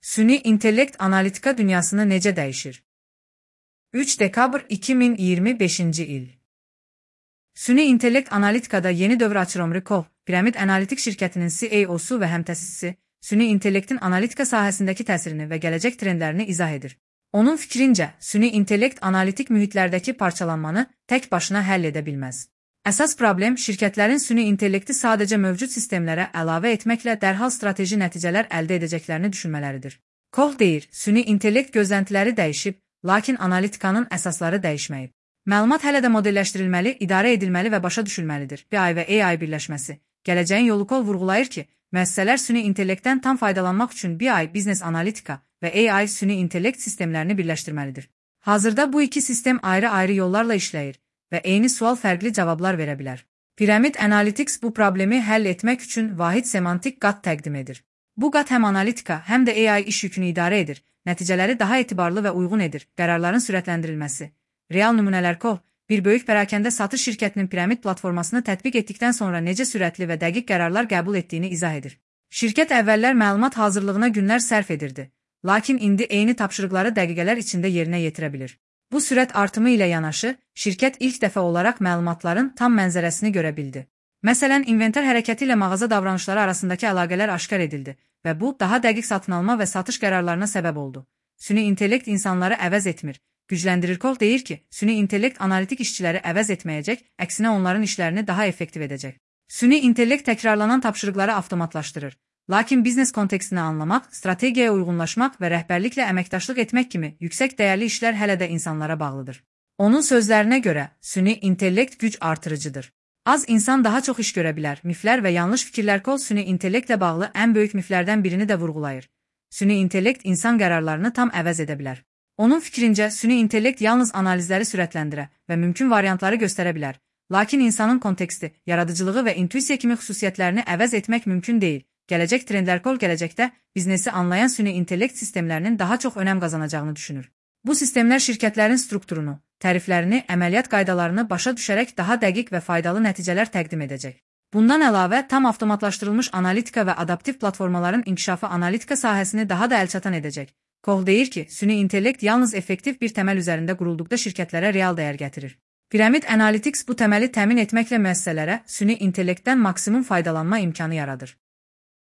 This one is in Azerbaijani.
Süni intellekt analitika dünyasını necə dəyişir? 3 dekabr 2025-ci il. Süni intellekt analitikada yeni dövr açır. Omri Koh, Piramid Analitik şirkətinin CEO-su və həmtəsisisi, süni intellektin analitika sahəsindəki təsirini və gələcək trendlərini izah edir. Onun fikrincə, süni intellekt analitik mühitlərdəki parçalanmanı tək başına həll edə bilməz. Əsas problem şirkətlərin süni intellekti sadəcə mövcud sistemlərə əlavə etməklə dərhal strateji nəticələr əldə edəcəklərini düşünmələridir. Koh deyir, süni intellekt gözləntiləri dəyişib, lakin analitikanın əsasları dəyişməyib. Məlumat hələ də modelləşdirilməli, idarə edilməli və başa düşülməlidir. BI və AI birləşməsi. Gələcəyin yolu Koh vurğulayır ki, müəssisələr süni intellektdən tam faydalanmaq üçün BI, biznes analitika və AI süni intellekt sistemlərini birləşdirməlidir. Hazırda bu iki sistem ayrı-ayrı yollarla işləyir və eyni sual fərqli cavablar verə bilər. Pyramid Analytics bu problemi həll etmək üçün vahid semantik qat təqdim edir. Bu qat həm analitika, həm də AI iş yükünü idarə edir, nəticələri daha etibarlı və uyğun edir, qərarların sürətləndirilməsi. Real nümunələr Koh, bir böyük pərakəndə satış şirkətinin piramid platformasını tətbiq etdikdən sonra necə sürətli və dəqiq qərarlar qəbul etdiyini izah edir. Şirkət əvvəllər məlumat hazırlığına günlər sərf edirdi, lakin indi eyni tapşırıqları dəqiqələr içində yerinə yetirə bilir. Bu sürət artımı ilə yanaşı, şirkət ilk dəfə olaraq məlumatların tam mənzərəsini görə bildi. Məsələn, inventar hərəkəti ilə mağaza davranışları arasındakı əlaqələr aşkar edildi və bu, daha dəqiq satın alma və satış qərarlarına səbəb oldu. Süni intellekt insanları əvəz etmir. Gücləndirir. Koh deyir ki, süni intellekt analitik işçiləri əvəz etməyəcək, əksinə onların işlərini daha effektiv edəcək. Süni intellekt təkrarlanan tapşırıqları avtomatlaşdırır. Lakin biznes kontekstini anlamaq, strategiyaya uyğunlaşmaq və rəhbərliklə əməkdaşlıq etmək kimi yüksək dəyərli işlər hələ də insanlara bağlıdır. Onun sözlərinə görə, süni intellekt güc artırıcıdır. Az insan daha çox iş görə bilər. Miflər və yanlış fikirlər. Koh süni intellektlə bağlı ən böyük miflərdən birini də vurğulayır. Süni intellekt insan qərarlarını tam əvəz edə bilər. Onun fikrincə, süni intellekt yalnız analizləri sürətləndirə və mümkün variantları göstərə bilər. Lakin insanın konteksti, yaradıcılığı və intuisiya kimi xüsusiyyətlərini əvəz etmək mümkün deyil. Gələcək trendlər. Koh gələcəkdə biznesi anlayan süni intellekt sistemlərinin daha çox önəm qazanacağını düşünür. Bu sistemlər şirkətlərin strukturunu, təriflərini, əməliyyat qaydalarını başa düşərək daha dəqiq və faydalı nəticələr təqdim edəcək. Bundan əlavə, tam avtomatlaşdırılmış analitika və adaptiv platformaların inkişafı analitika sahəsini daha da əlçatan edəcək. Koh deyir ki, süni intellekt yalnız effektiv bir təməl üzərində qurulduqda şirkətlərə real dəyər gətirir. Pyramid Analytics bu təməli təmin etməklə müəssisələrə süni intellektdən maksimum faydalanma imkanı yaradır.